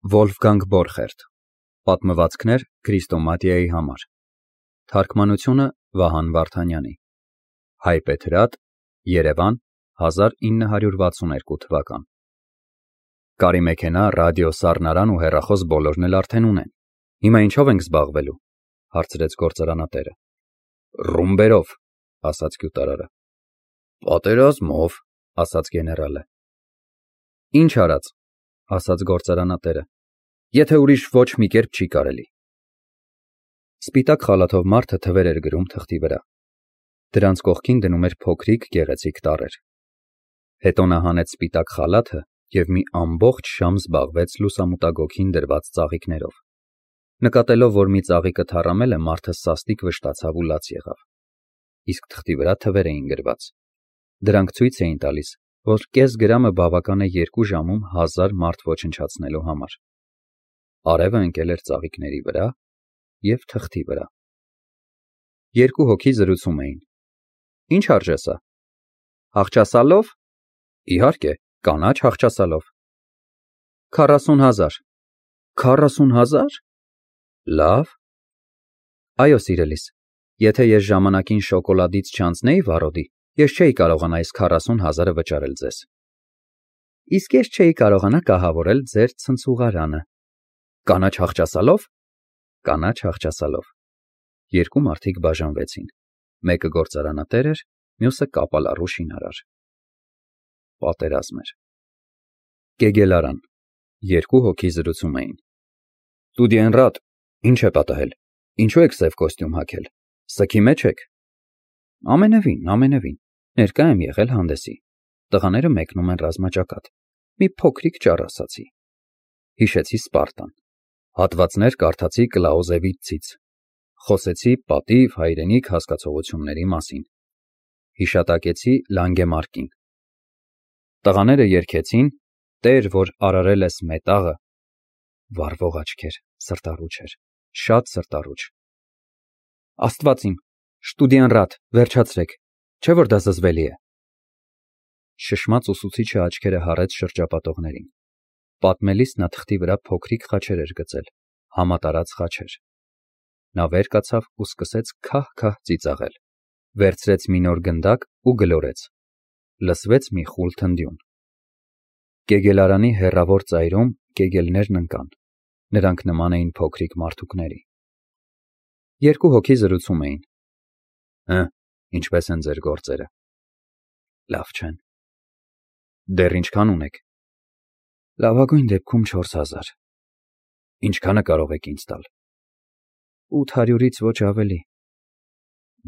Վոլֆգանգ Բորխերտ Պատմվածքներ Քրիստոմատիայի համար Թարգմանությունը Վահան Վարդանյանի Հայբեթրատ Երևան 1962 թվական Կարի մեքենա, ռադիո, սառնարան ու հեռախոս բոլորն էլ արդեն ունեն։ Հիմա ինչով ենք զբաղվելու, հարցրեց գործարանատերը։ Ռումբերով, ասաց գյուտարարը։ Պատերազմով, ասաց գեներալը։ Ինչ արած, ասաց գործարանատերը, եթե ուրիշ ոչ մի կերպ չի կարելի։ Սպիտակ խալաթով մարդը թվեր էր գրում թղթի վրա։ Դրանց կողքին դնում էր փոքրիկ գեղեցիկ տառեր։ Հետո նա հանեց սպիտակ խալաթը և մի ամբողջ ժամ զբաղվեց լուսամուտագոգին դրված ծաղիկներով։ Նկատելով, որ մի ծաղիկը թառամել է, մարդը սաստիկ վշտացավ ու լաց եղավ։ Իսկ թղթի վրա թվեր էին գրված։ Դրանք ցույց էին տալիս, որ կես գրամը բավական է 2 ժամում 1000 մարդ ոչնչացնելու համար։ Արևը ընկել էր ծաղիկների վրա և թղթի վրա։ Երկու հոգի զրուցում էին։ Ինչ արժե սա։ Հաղճասալով։ Իհարկե, կանաչ հաղճասալով։ 40,000։ 40,000։ Լավ։ Այո, սիրելիս, եթե ես ժամանակին շոկոլադից չանցնեի վառոդի, ես չէի կարողանա այս 40,000-ը վճարել ձեզ։ Իսկ ես չէի կարողանա կահավորել ձեր ցնցուղարանը։ Կանաչ հաղճասալով։ Կանաչ հաղճասալով։ Երկու մարդիկ բաժանվեցին։ Մեկը գործարանատեր էր, մյուսը կապալառու շինարար։ Պատերազմ էր։ Կեգելարան։ Երկու հոգի զրուցում էին։ Ստուդիենրատ, ինչ է պատահել։ Ինչու եք սև կոստյում հագել։ Սգի մեջ եք։ Ամենևին։ Ներկա եմ եղել հանդեսի։ Տղաները մեկնում են ռազմաճակատ։ Մի փոքրիկ ճառ ասացի։ Հիշեցի Սպարտան։ Հատվածներ կարդացի Կլաուզևիցցից։ Խոսեցի պատիվ, հայրենիք հասկացողությունների մասին։ Հիշատակեցի Լանգեմարկին։ Տղաները երգեցին «Տեր, որ արարել ես մետաղը», վառվող աչքեր, սրտառուչ էր, շատ սրտառուչ։ Աստված իմ, Ստուդիենրատ, վերջացրեք, չէ՞ որ դա զզվելի է։ Շշմած ուսուցիչը աչքերը հառեց շրջապատողներին։ Պատմելիս նա թղթի վրա փոքրիկ խաչեր էր գծել, համատարած խաչեր։ Նա վեր կացավ ու սկսեց քահ-քահ ծիծաղել։ Վերցրեց մի նոր գնդակ ու գլորեց։ Լսվեց մի խուլ թնդյուն։ Կեգելարանի հեռավոր ծայրում կեգելներն ընկան։ Նրանք նման էին փոքրիկ մարդուկների։ Երկու հոգի զրուցում էին։ Ինչպես են ձեր գործերը։ Լավ չեն։ Դեռ ինչքան ունեք։ Լավագույն դեպքում 4000։ Ինչքանը կարող եք ինձ տալ։ 800-ից ոչ ավելի։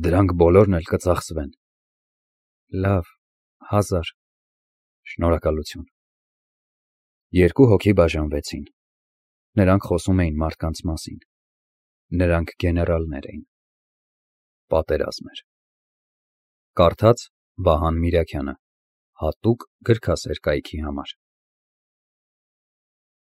Դրանք բոլորն էլ կծախսվեն։ Լավ, 1000։ Շնորհակալություն։ Երկու հոգի բաժանվեցին։ Նրանք խոսում էին մարդկանց մասին։ Նրանք գեներալներ էին։ Պատերազմ էր։ Կարդաց Վահան Միրաքյանը, հատուկ գրքասեր կայքի համար։